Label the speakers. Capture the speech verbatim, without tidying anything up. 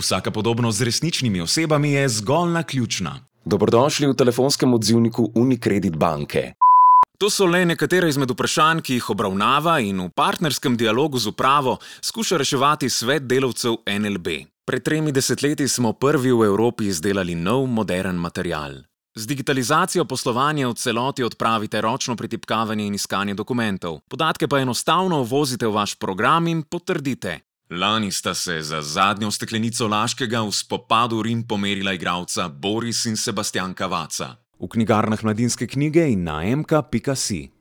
Speaker 1: Vsaka podobnost z resničnimi osebami je zgolj naključna.
Speaker 2: Dobrodošli v telefonskem odzivniku Unicredit banke.
Speaker 1: To so le nekatere izmed vprašanj, ki jih obravnava in v partnerskem dialogu z upravo skuša reševati svet delavcev N L B. Pred tremi desetletji smo prvi v Evropi izdelali nov, moderen material. Z digitalizacijo poslovanja v celoti odpravite ročno pretipkavanje in iskanje dokumentov. Podatke pa enostavno uvozite v vaš program in potrdite. Lani sta se za zadnjo steklenico Laškega v spopadu Rim pomerila igralca Boris in Sebastian Cavazza. V knjigarnah Mladinske knjige in na m k pika si.